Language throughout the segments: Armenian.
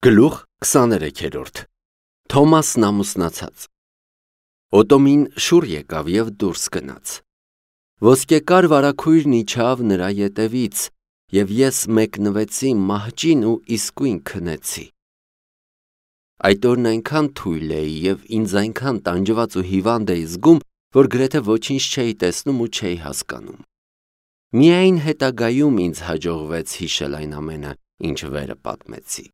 Գլուխ 23-րդ Թոմասն ամուսնացած Օտոմին շուռ եկավ և դուրս գնաց։ Ոսկեկար վարագույրն իջավ նրա ետևից, և ես մեկնվեցի մահճին ու իսկույն քնեցի։ Այդ օրն այնքան թույլ էի և ինձ այնքան տանջված ու հիվանդ էի զգում, որ գրեթե ոչինչ չէի տեսնում ու չէի հասկանում։ Միայն հետագայում ինձ հաջողվեց հիշել այն ամենը, ինչ վերը պատմեցի։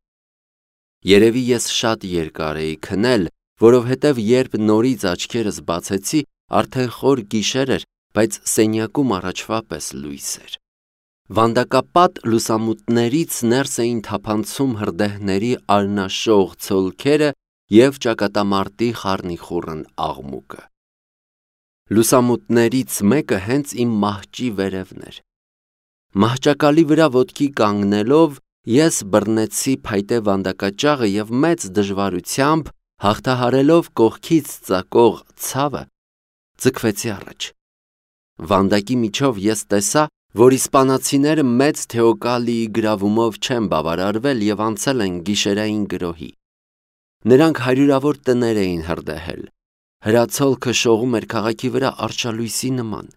Երևի ես շատ երկար էի քնել, որովհետև երբ նորից աչքերս բացեցի, արդեն խոր գիշեր էր, բայց սենյակում առաջվա պես լույս էր։ Վանդակապատ լուսամուտներից ներս էին թափանցում հրդեհների արյունաշող ցոլքերը և ճակատամարտի խառնիխուռն աղմուկը։ Լուսամուտներից մեկը հենց իմ մահճի վերևն էր։ Մահճակալի վրա ոտքի կանգնելով, ես բռնեցի փայտե վանդակաճաղը և մեծ դժվարությամբ, հաղթահարելով կողքից ծակող ցավը, ձգվեցի առաջ։ Վանդակի միջով ես տեսա, որ իսպանացիները մեծ Թեոկալիի գրավումով չեն բավարարվել և անցել են գիշերային գրոհի։ Նրանք հարյուրավոր տներ էին հրդեհել։ Հրացոլքը շողում էր քաղաքի վրա արշալույսի նման։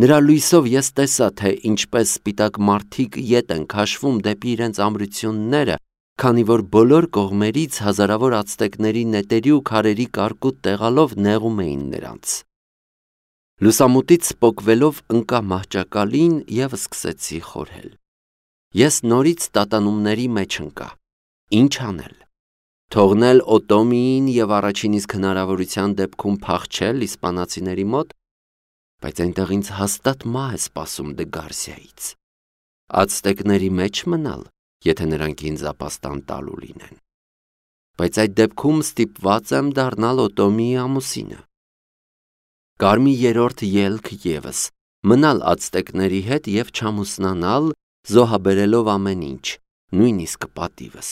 Նրա լույսով ես տեսա, թե ինչպես սպիտակ մարդիկ ետ են քաշվում դեպի իրենց ամրությունները, քանի որ բոլոր կողմերից հազարավոր ացտեկների նետերի ու քարերի կարկուտ տեղալով նեղում էին նրանց։ Լուսամուտից պոկվելով ընկա մահճակալին և սկսեցի խորհել։ Ես նորից տատանումների մեջ ընկա։ Ինչ անել։ Թողնել Օտոմիին և առաջին իսկ հնարավորության դեպքում փախչել իսպանացիների մոտ, բայց այնտեղ ինձ հաստատ մահ է սպասում Դե Գարսիայից։ Ացտեկների մեջ մնալ, եթե նրանք ինձ ապաստան տալու լինեն։ Բայց այդ դեպքում ստիպված եմ դառնալ Օտոմիի ամուսինը։ Կար մի երրորդ ելք ևս՝ մնալ ացտեկների հետ և չամուսնանալ, զոհաբերելով ամեն ինչ, նույնիսկ պատիվս։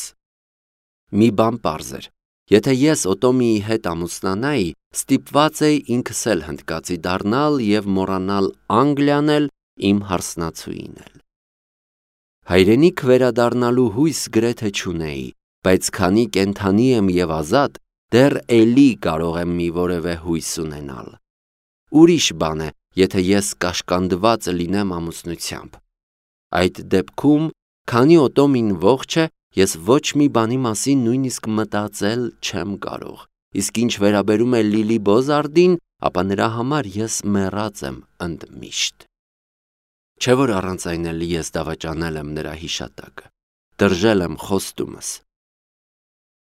Մի բան պարզ էր. եթե ես Օտոմիի հետ ամուսնանայի, ստիպված էի ինքս էլ հնդկացի դառնալ և մոռանալ Անգլիան էլ, իմ հարսնացուին էլ։ Հայրենիք վերադառնալու հույս գրեթե չունեի, բայց քանի կենդանի եմ և ազատ, դեռ էլի կարող եմ մի որևէ հույս ունենալ։ Ուրիշ բան է, եթե ես կաշկանդված լինեմ ամուսնությամբ։ Այդ դեպքում, քանի Օտոմին ողջ է, ես ոչ մի բանի մասին նույնիսկ մտածել չեմ կարող, իսկ ինչ վերաբերում է Լիլի Բոզարդին, ապա նրա համար ես մեռած եմ ընդմիշտ։ Չէ՞ որ առանց այն էլ ես դավաճանել եմ նրա հիշատակը, տրժել եմ խոստումս։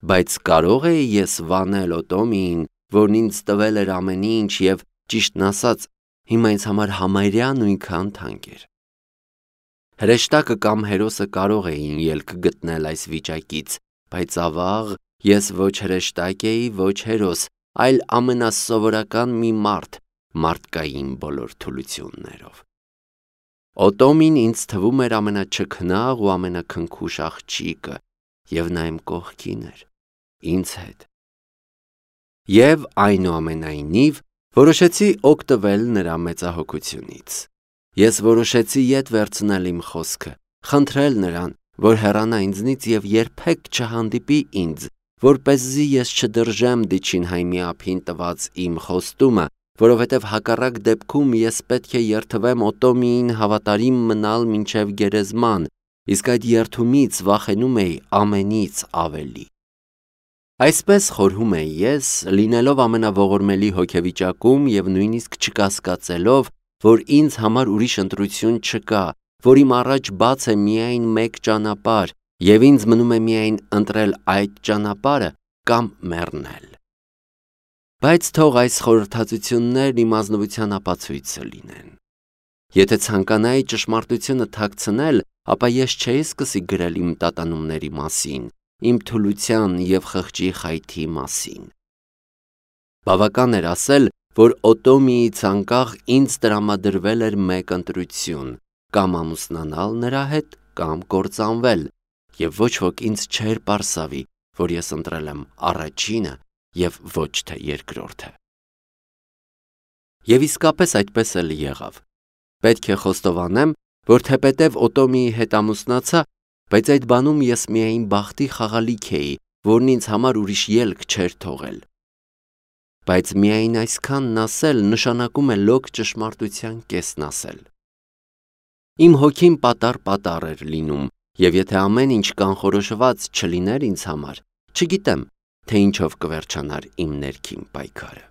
Բայց կարո՞ղ էի ես վանել Օտոմիին, որն ինձ տվել էր ամեն ինչ և, ճիշտն ասած, հիմա ինձ համար համարյա նույնքան թանկ էր։ Հրեշտակը կամ հերոսը կարող էին ելք գտնել այս վիճակից, բայց ավաղ, ես ոչ հրեշտակ էի, ոչ հերոս, այլ ամենասովորական մի մարդ, մարդկային բոլոր թուլություններով։ Օտոմին ինձ թվում էր ամենաչքնաղ ու ամենաքնքուշ աղջիկը, և նա իմ կողքին էր, ինձ հետ։ Եվ այնուամենայնիվ, որոշեցի օգտվել նրա մեծահոգությունից։ Ես որոշեցի ետ վերցնել իմ խոսքը, խնդրել նրան, որ հեռանա ինձնից և երբեք չհանդիպի ինձ, որպեսզի ես չդրժեմ Դիչինհայմի ափին տված իմ խոստումը, որովհետև հակառակ դեպքում ես պետք է երդվեմ Օտոմիին հավատարիմ մնալ մինչև գերեզման, իսկ այդ երդումից վախենում էի ամենից ավելի։ Այսպես խորհում էի ես, լինելով ամենաողորմելի հոգեվիճակում և նույնիսկ չկասկածելով, որ ինձ համար ուրիշ ընտրություն չկա, որ իմ առաջ բաց է միայն մեկ ճանապարհ, և ինձ մնում է միայն ընտրել այդ ճանապարհը կամ մեռնել։ Բայց թող այս խորհրդածություններն իմ ազնվության ապացույցը լինեն։ Եթե ցանկանայի ճշմարտությունը թաքցնել, ապա ես չէի սկսի գրել իմ տատանումների մասին, իմ թուլության և խղճի խայթի մասին։ Բավական էր ասել, որ Օտոմիից անկախ ինձ տրամադրվել էր մեկ ընտրություն՝ կամ ամուսնանալ նրա հետ, կամ կործանվել, և ոչ ոք ինձ չէր պարսավի, որ ես ընտրել եմ առաջինը և ոչ թե երկրորդը։ Եվ իսկապես այդպես էլ եղավ։ Պետք է խոստովանեմ, որ թեպետև Օտոմիի հետ ամուսնացա, բայց այդ բանում ես միայն բախտի խաղալիք էի, որն ինձ համար ուրիշ ելք չէր թողել։ Բայց միայն այսքանն ասել նշանակում է լոկ ճշմարտության կեսն ասել։ Իմ հոգին պատառ էր լինում, և եթե ամեն ինչ կանխորոշված չլիներ ինձ համար, չգիտեմ, թե ինչով կվերջանար իմ ներքին պայքարը։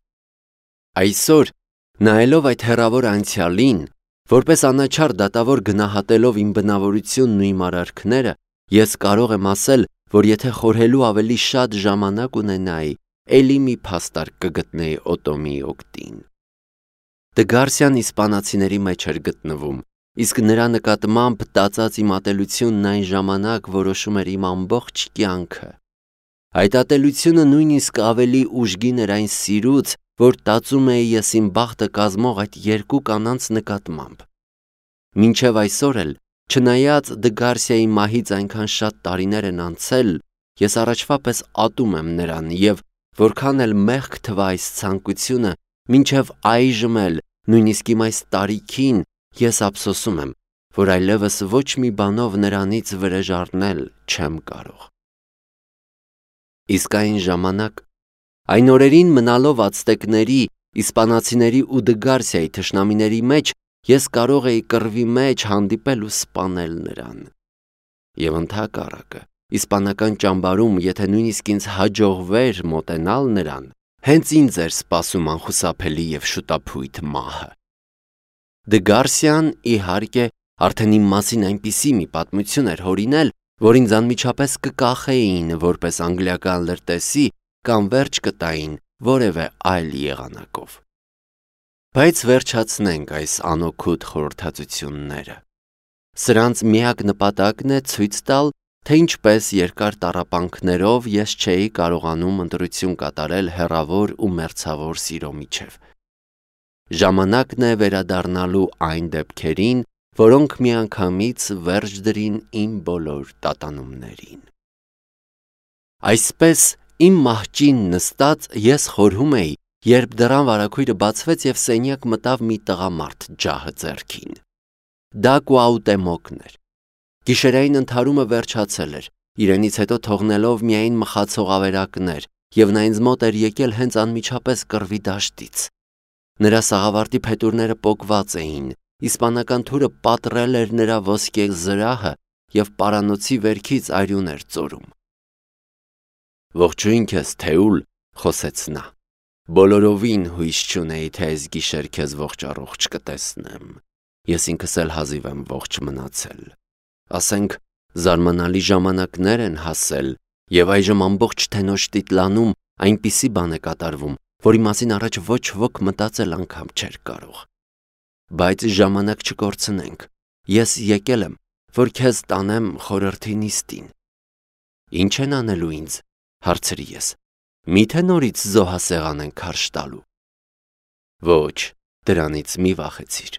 Այսօր, նայելով այդ հեռավոր անցյալին, որպես անաչառ դատավոր գնահատելով իմ բնավորությունն ու իմ արարքները, ես կարող եմ ասել, որ եթե խորհելու ավելի շատ ժամանակ ունենայի, էլի մի փաստարկ կգտնեի Օտոմի օգտին։ Դգարսյան իսպանացիների մեջ էր գտնվում, իսկ նրա նկատմամբ տածած իմ ատելությունն այն ժամանակ որոշում էր իմ ամբողջ կյանքը։ Այդ ատելությունը նույնիսկ ավելի ուժգին էր այն սիրուց, որ տածում էի ես իմ բախտը կազմող այդ երկու կանանց նկատմամբ։ Մինչև այսօր էլ, չնայած Դգարսիայի մահից այնքան շատ տարիներ են անցել, ես առաջվա պես ատում եմ նրան և որքան էլ մեղք թվա այս ցանկությունը, մինչև այժմ էլ, նույնիսկ իմ այս տարիքին, ես ափսոսում եմ, որ այլևս ոչ մի բանով նրանից վրեժ առնել չեմ կարող։ Իսկ այն ժամանակ, այն օրերին մնալով ացտեկների, իսպանացիների ու Դգարսիայի թշնամիների մեջ, ես կարող էի կռվի մեջ հանդիպել ու սպանել նրան։ Եվ ընդհակառակը, իսպանական ճամբարում, եթե նույնիսկ ինձ հաջողվեր մոտենալ նրան, հենց ինձ էր սպասում անխուսափելի և շուտափույթ մահը։ Դգարսիան, իհարկե, արդեն իմ մասին այնպիսի մի պատմություն էր հորինել, որ ինձ անմիջապես կկախեին որպես անգլիական լրտեսի կամ վերջ կտային որևէ այլ եղանակով։ Բայց վերջացնենք այս անօգուտ խորհրդածությունները։ Սրանց միակ նպատակն է ցույց տալ, թե ինչպես երկար տառապանքներով ես չէի կարողանում ընտրություն կատարել հեռավոր ու մերձավոր սիրո միջև։ Ժամանակն է վերադառնալու այն դեպքերին, որոնք միանգամից վերջ դրին իմ բոլոր տատանումներին։ Այսպես, իմ մահճին նստած ես խորհում էի, երբ դռան վարագույրը բացվեց և սենյակ մտավ մի տղամարդ ջահը ձեռքին։ Դա Կուաուտեմոկն էր։ Գիշերային ընդհարումը վերջացել էր, իրենից հետո թողնելով միայն մխացող ավերակներ, և նա ինձ մոտ էր եկել հենց անմիջապես կռվի դաշտից։ Նրա սաղավարտի փետուրները պոկված էին, իսպանական թուրը պատռել էր նրա ոսկե զրահը և պարանոցի վերքից արյուն էր ծորում։ «Ողջույն քեզ, Թեուլ», խոսեց նա։ «Բոլորովին հույս չունեի, թե այս գիշեր քեզ ողջ-առողջ կտեսնեմ։ Ես ինքս էլ հազիվ եմ ողջ մնացել։ Ասենք, զարմանալի ժամանակներ են հասել, և այժմ ամբողջ Թենոշ Տիտլանում այնպիսի բան է կատարվում, որի մասին առաջ ոչ ոք մտածել անգամ չէր կարող։ Բայց ժամանակ չկորցնենք, ես եկել եմ, որ քեզ տանեմ խորհրդի նիստին»։ «Ինչ են անելու ինձ», հարցրի ես, «միթե նորից զոհասեղան են քարշ տալու»։ «Ոչ, դրանից մի վախեցիր,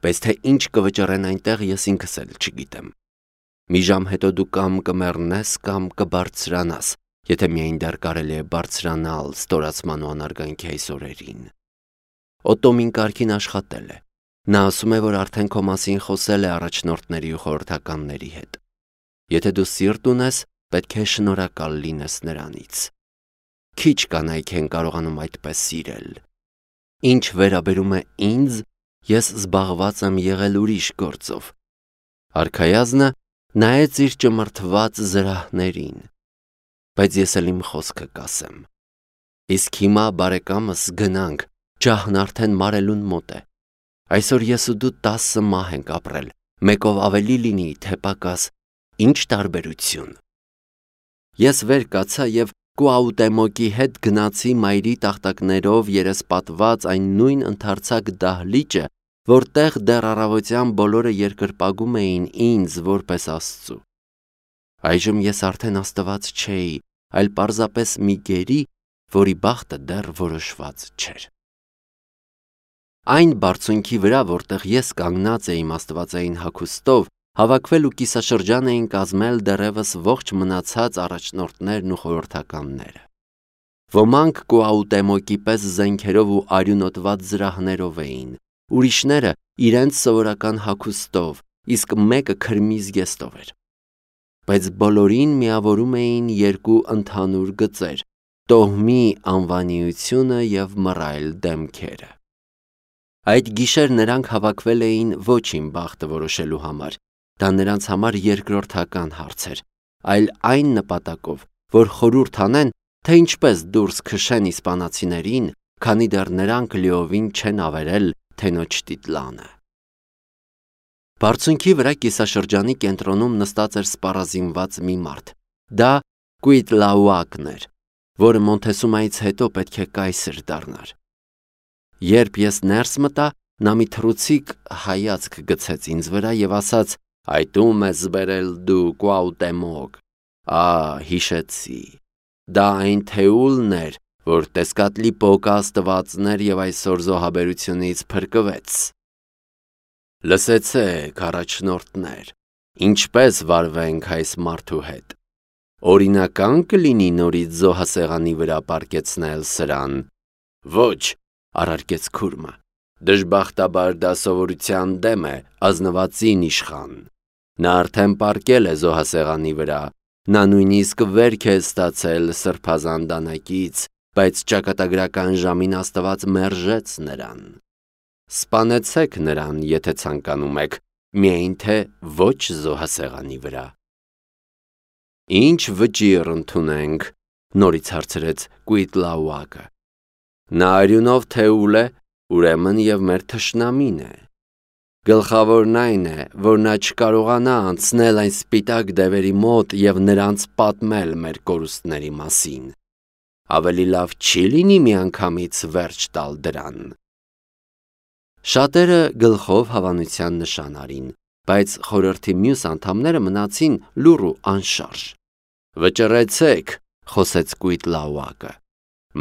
բայց թե ինչ կվճռեն այնտեղ, ես ինքս էլ չգիտեմ։ Մի ժամ հետո դու կամ կմեռնես, կամ կբարձրանաս, եթե միայն դեռ կարելի է բարձրանալ ստորացման ու անարգանքի այս օրերին։ Օտոմին կարգին աշխատել է։ Նա ասում է, որ արդեն քո մասին խոսել է առաջնորդների ու խորհրդականների հետ։ Եթե դու սիրտ ունես, պետք է շնորհակալ լինես նրանից։ Քիչ կանայք են կարողանում այդպես սիրել։ Ինչ վերաբերում է ինձ, ես զբաղված եմ եղել ուրիշ գործով։ Արքայազնը նայեց իր ճմրթված զրահներին։ Բայց ես էլ իմ խոսքը կասեմ։ Իսկ հիմա, բարեկամս, գնանք, ջահն արդեն մարելուն մոտ է։ Այսօր ես ու դու 10 մահ ենք ապրել, մեկով ավելի լինի, թե պակաս, ինչ տարբերություն։ Ես վեր կացա և Կուաուտեմոկի հետ գնացի մայրի տախտակներով երեսպատված այն նույն ընդարձակ դահլիճը, որտեղ դեռ առավոտյան բոլորը երկրպագում էին ինձ որպես Աստծու։ Այժմ ես արդեն Աստված չէի, այլ պարզապես մի գերի, որի բախտը դեռ որոշված չէր։ Այն բարձունքի վրա, որտեղ ես կանգնած էի իմ աստվածային հագուստով, հավաքվել ու կիսաշրջան էին կազմել դեռևս ողջ մնացած առաջնորդներն ու խորհրդականները։ Ոմանք Կուաուտեմոկի պես զենքերով ու արյունոտված զրահներով էին, ուրիշները իրենց սովորական հագուստով, իսկ մեկը քրմի զգեստով էր։ բայց բոլորին միավորում էին երկու ընդհանուր գծեր՝ տոհմի անվանիությունը և մռայլ դեմքերը։ Այդ գիշեր նրանք հավաքվել էին ոչ իմ բախտը որոշելու համար, դա նրանց համար երկրորդական հարց էր, այլ այն նպատակով, որ խորհուրդ անեն, թե ինչպես դուրս քշեն իսպանացիներին, քանի դեռ նրանք լիովին չեն ավերել թենոջ տիտլանը։ Բարձունքի վրա կիսաշրջանի կենտրոնում նստած էր սպառազինված մի մարդ։ Դա Կուիտլաուակն էր, որը Մոնտեսումայից հետո պետք է կայսր դառնար։ Երբ ես ներս մտա, նա մի թռուցիկ հայացք գցեց ինձ վրա և ասաց. «Այդ ում ես բերել դու, Կուաուտեմոկ»։ Հիշեցի։ Դա այն Թեուլն էր, որ Տեսկատլիպոկը աստվածներ և այսօր զոհաբերությունից փրկվեց։ Լսեցեք, առաջնորդներ, ինչպես վարվենք այս մարդու հետ։ Օրինական կլինի նորից զոհասեղանի վրա պառկեցնել սրան։ Ոչ, առարկեց քուրմը, դժբախտաբար դա սովորության դեմ է, ազնվածին իշխան։ Նա արդեն պառկել է զոհասեղանի վրա, նա նույնիսկ վերք է ստացել սրբազան դանակից, բայց ճակատագրական ժամին Աստված մերժեց նրան։ Սպանեցեք նրան, եթե ցանկանում եք, միայն թե ոչ զոհասեղանի վրա։ Ինչ վճիռ ընդունենք, նորից հարցրեց Կուիտլաուակը։ Նա արյունով Թեուլ է, ուրեմն և մեր թշնամին է։ Գլխավորն այն է, որ նա չկարողանա անցնել այն սպիտակ դևերի մոտ և նրանց պատմել մեր կորուստների մասին։ Ավելի լավ չի լինի միանգամից վերջ տալ դրան։ Շատերը գլխով հավանության նշան արին, բայց խորհրդի մյուս անդամները մնացին լուռ ու անշարժ։ Վճռեցեք, խոսեց Կուիտլաուակը։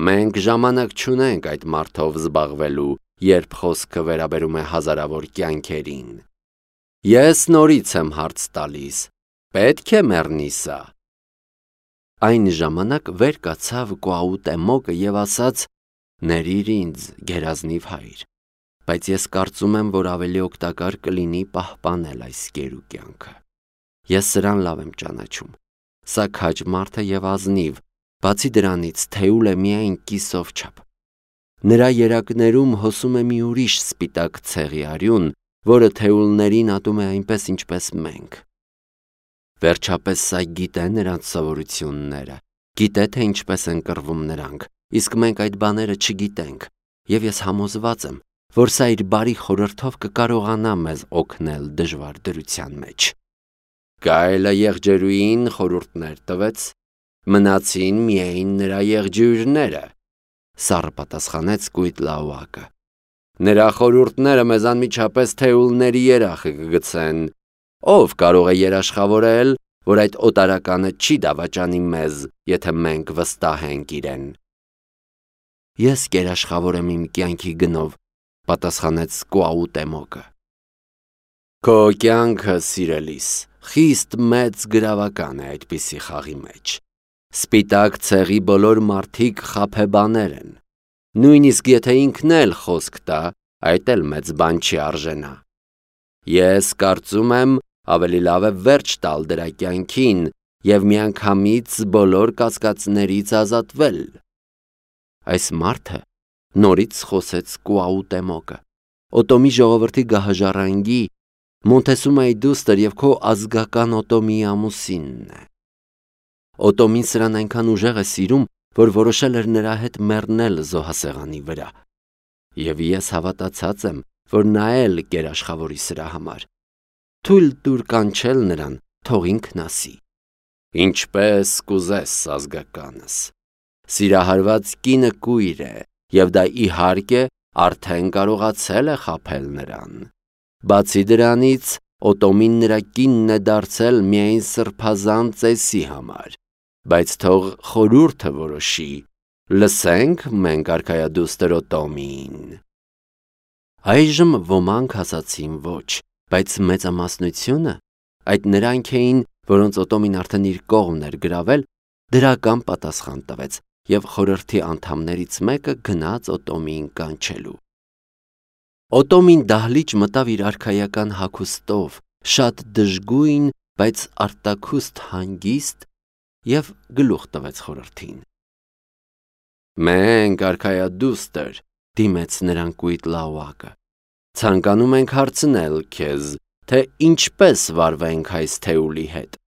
Մենք ժամանակ չունենք այդ մարդով զբաղվելու, երբ խոսքը վերաբերում է հազարավոր կյանքերին։ Ես նորից եմ հարց տալիս. պետք է մեռնի սա։ Այն ժամանակ վեր կացավ Կուաուտեմոկը և ասաց. «Ներիր ինձ, գերազնիվ հայր, բայց ես կարծում եմ, որ ավելի օգտակար կլինի պահպանել այս գերու կյանքը։ Ես սրան լավ եմ ճանաչում։ Սա քաջ մարդ է և ազնիվ, բացի դրանից Թեուլ է միայն կիսով չափ։ Նրա երակներում հոսում է մի ուրիշ սպիտակ ցեղի արյուն, որը Թեուլներին ատում է այնպես, ինչպես մենք։ Վերջապես սա գիտե նրանց սովորությունները, գիտե, թե ինչպես են կռվում նրանք, իսկ մենք այդ բաները չգիտենք, և ես համոզված եմ, որ սա իր բարի խորհրդով կկարողանա մեզ օգնել դժվար դրության մեջ։ Գայլը եղջերուին խորհուրդներ տվեց, մնացին միայն նրա եղջյուրները, սառը պատասխանեց Կուիտլաուակը։ Նրա խորհուրդները մեզ անմիջապես Թեուլների երախը կգցեն։ Ով կարող է երաշխավորել, որ այդ օտարականը չի դավաճանի մեզ, եթե մենք վստահենք իրեն։ Ես կերաշխավորեմ իմ կյանքի գնով, պատասխանեց Կուաուտեմոկը։ Քո կյանքը, սիրելիս, խիստ մեծ գրավական է այդպիսի խաղի մեջ։ Սպիտակ ցեղի բոլոր մարդիկ խաբեբաներ են։ Նույնիսկ եթե ինքն էլ խոսք տա, այդ էլ մեծ բան չի արժենա։ Ես կարծում եմ, ավելի լավ է վերջ տալ դրա կյանքին և միանգամից բոլոր կասկածներից ազատվել։ Այս մարդը նորից խոսեց Կուաուտեմոկը, Օտոմի ժողովրդի գահաժառանգի, Մոնտեսումայի դուստր և քո ազգական Օտոմիի ամուսինն է։ Օտոմին սրան այնքան ուժեղ է սիրում, որ որոշել էր նրա հետ մեռնել զոհասեղանի վրա։ Եվ ես հավատացած եմ, որ նա էլ կերաշխավորի սրա համար։ Թույլ տուր կանչել նրան, թող ինքն ասի։ Ինչպես կուզես, ազգականս։ Սիրահարված կինը կույր է, և դա իհարկե արդեն կարողացել է խաբել նրան։ Բացի դրանից, Օտոմին նրա կինն է դարձել միայն սրբազան ծեսի համար, բայց թող խորհուրդը որոշի, լսենք մենք արքայադուստր Օտոմին։ Այժմ ոմանք ասացին ոչ, բայց մեծամասնությունը, այդ նրանք էին, որոնց Օտոմին արդեն իր կողմն էր գրավել, դրական պատասխան տվեց և խորհրդի անդամներից մեկը գնաց Օտոմիին կանչելու։ Օտոմին դահլիճ մտավ իր արքայական հագուստով, շատ դժգույն, բայց արտաքուստ հանգիստ և գլուխ տվեց խորհրդին։ «Մենք, արքայադուստր», դիմեց նրան Կույտլաուակը, «ցանկանում ենք հարցնել քեզ, թե ինչպես վարվենք այս Թեուլի հետ,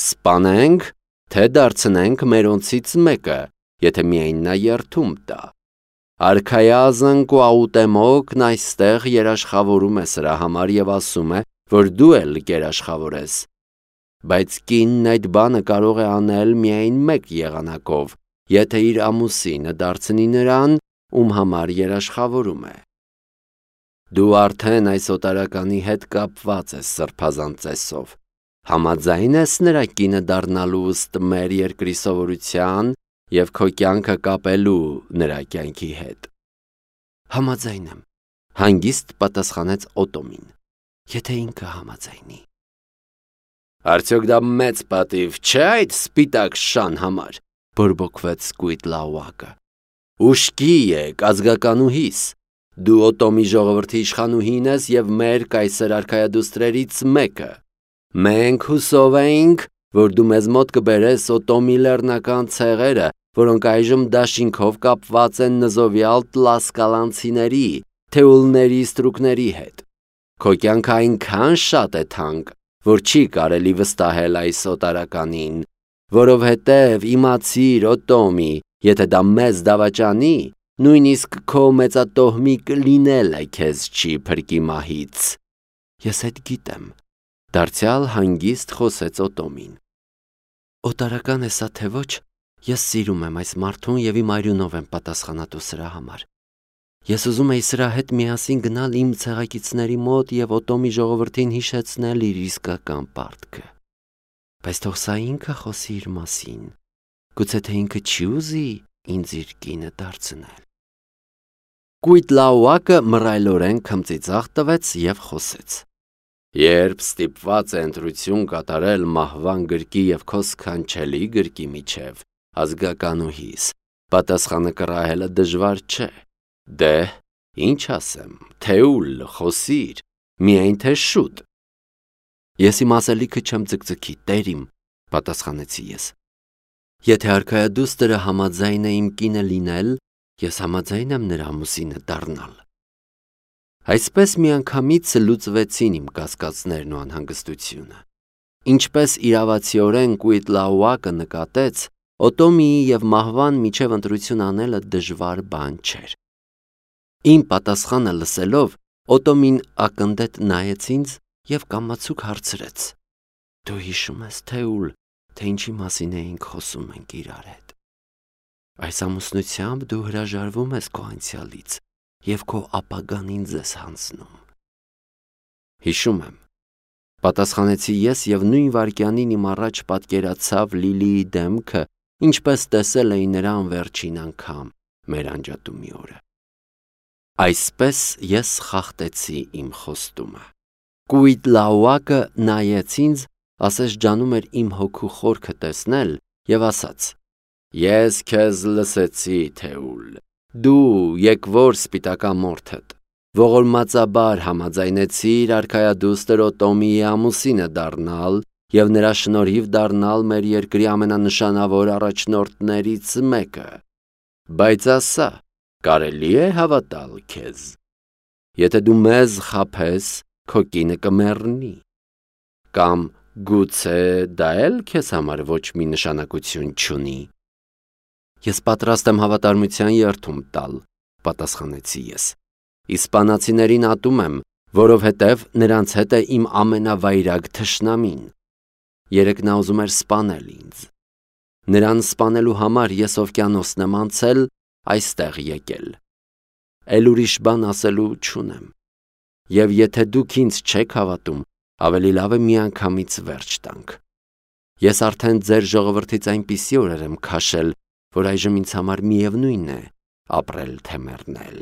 սպանենք, թե դարձնենք մերոնցից մեկը, եթե միայն նա երդում տա։ Արքայազն Կուաուտեմոկն այստեղ երաշխավորում է սրա համար և ասում է, որ դու էլ կերաշխավորես, բայց կինն այդ բանը կարող է անել միայն մեկ եղանակով, եթե իր ամուսինը դարձնի նրան, ում համար երաշխավորում է։ Դու արդեն այս օտարականի հետ կապված ես սրբազան ծեսով, համաձայն ես նրա կինը դառնալու ըստ մեր երկրի սովորության և քո կյանքը կապելու նրա կյանքի հետ։ Համաձայն եմ, հանգիստ պատասխանեց Օտոմին, եթե ինքը համաձայնի։ Արդյոք դա մեծ պատիվ չէ այդ սպիտակ շան համար, բորբոքվեց Կույտլաուակը։ Ուշքի եք, ազգականուհիս, դու Օտոմի ժողովրդի իշխանուհին ես և մեր կայսեր արքայադուստրերից մեկը։ Մենք հուսով էինք, որ դու մեզ մոտ կբերես Օտոմի լեռնական ցեղերը, որոնք այժմ դաշինքով կապված են նզովյալ տլասկալանցիների, թեուլների ստրուկների հետ։ Քո կյանքը այնքան շատ է թանկ, որ չի կարելի վստահել այս օտարականին, որովհետև իմացիր, Օտոմի, եթե դա մեզ դավաճանի, նույնիսկ քո մեծատոհմի կլինելը քեզ չի փրկի մահից։ Ես այդ գիտեմ, դարձյալ հանգիստ խոսեց Օտոմին։ Օտարական է սա թե ոչ, ես սիրում եմ այս մարդուն և իմ արյունով եմ պատասխանատու սրա համար։ Ես ուզում էի սրա հետ միասին գնալ իմ ցեղակիցների մոտ և Օտոմի ժողովրդին հիշեցնել իր իսկական պարտքը։ Բայց թող սա ինքը խոսի իր մասին, գուցե թե ինքը չի ուզի ինձ իր կինը դարձնել։ Կույտլաուակը մռայլորեն քմծիծաղ տվեց և խոսեց. Երբ ստիպված է ընտրություն կատարել մահվան գրկի և քո սքանչելի գրկի միջև, ազգականուհիս, պատասխանը կռահելը դժվար չէ։ Դե, ինչ ասեմ, Թեուլ, խոսիր, միայն թե շուտ։ Ես իմ ասելիքը չեմ ձգձգի, տեր իմ, պատասխանեցի ես։ Եթե արքայադուստրը համաձայն է իմ կինը լինել, ես համաձայն եմ նրա ամուսինը դառնալ։ Այսպես միանգամից լուծվեցին իմ կասկածներն ու անհանգստությունը։ Ինչպես իրավացիորեն Կույտլաուակը նկատեց, Օտոմիի և մահվան միջև ընտրություն անելը դժվար բան չէր։ Իմ պատասխանը լսելով, Օտոմին ակնդետ նայեց ինձ և կամացուկ հարցրեց. Դու հիշում ես, Թեուլ, թե ինչի մասին էինք խոսում ենք իրար հետ։ Այս ամուսնությամբ դու հրաժարվում ես քո անցյալից և քո ապագան ինձ ես հանձնում։ Հիշում եմ, պատասխանեցի ես և նույն վայրկյանին իմ առաջ պատկերացավ Լիլիի դեմքը, ինչպես տեսել էի նրան վերջին անգամ մեր անջատումի օրը։ Այսպես ես խախտեցի իմ խոստումը։ Կույտլաուակը նայեց ինձ, ասես ջանում էր իմ հոգու խորքը տեսնել և ասաց. Ես քեզ լսեցի, Թեուլ, դու եկվոր սպիտակամորթդ, ողորմածաբար համաձայնեցիր արքայադուստր Օտոմիի ամուսինը դառնալ և նրա շնորհիվ դառնալ մեր երկրի ամենանշանավոր առաջնորդներից մեկը, բայց ասա, կարելի է հավատալ քեզ։ Եթե դու մեզ խաբես, քո կինը կմեռնի, կամ գուցե դա էլ քեզ համար ոչ մի նշանակություն չունի։ Ես պատրաստ եմ հավատարմության երդում տալ, պատասխանեցի ես։ Իսպանացիներին ատում եմ, որովհետև նրանց հետ է իմ ամենավայրագ թշնամին։ Երեկ նա ուզում էր սպանել ինձ։ Նրան սպանելու համար ես օվկիանոսն եմ անցել, այստեղ եկել։ Էլ ուրիշ բան ասելու չունեմ։ Եվ եթե դուք ինձ չեք հավատում, ավելի լավ է միանգամից վերջ տանք։ Ես արդեն ձեր ժողովրդից այնպիսի օրեր եմ քաշել, որ այժմ ինձ համար միևնույն է ապրել թե մեռնել։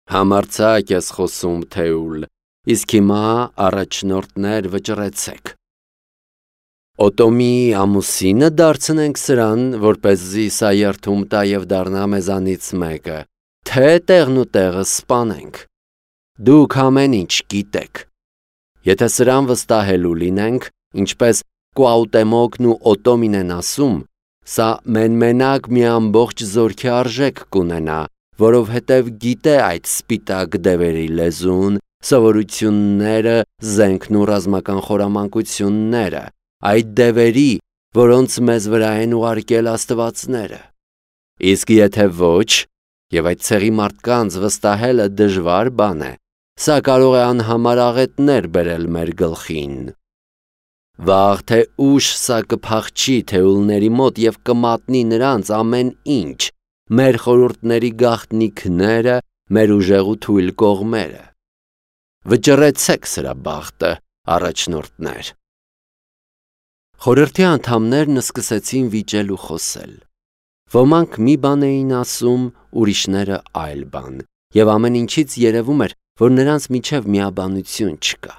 Համարձակ ես խոսում, Թեուլ, իսկ հիմա առաջնորդներ վճռեցեք։ Օտոմիի ամուսինը դարձնենք սրան, որպեսզի սա երդում տա և դառնա մեզանից մեկը, թե տեղն ու տեղը սպանենք։ Դուք ամեն ինչ գիտեք։ Եթե սրան վստահելու լինենք, ինչպես Կուաուտեմոկն ու Օտոմին են ասում, սա մենակ մի ամբողջ զորքի արժեք կունենա, որովհետև գիտե այդ սպիտակ դևերի լեզուն, սովորությունները, զենքն ու ռազմական խորամանկությունները, այդ դևերի, որոնց մեզ վրա են ուղարկել աստվածները։ Իսկ եթե ոչ, եւ այդ ցեղի մարդկանց վստահելը դժվար բան է, սա կարող է անհամար աղետներ բերել մեր գլխին։ Վաղ թե ուշ սա կփախչի թեուլների մոտ եւ կմատնի նրանց ամեն ինչ, մեր խորհուրդների գաղտնիքները, մեր ուժեղ ու թույլ կողմերը։ Վճռեցեք սրա բախտը, առաջնորդներ։ Խորհրդի անդամներն սկսեցին վիճել ու խոսել։ Ոմանք մի բան էին ասում, ուրիշները այլ բան, եւ ամեն ինչից երևում էր, որ նրանց միջև միաբանություն չկա։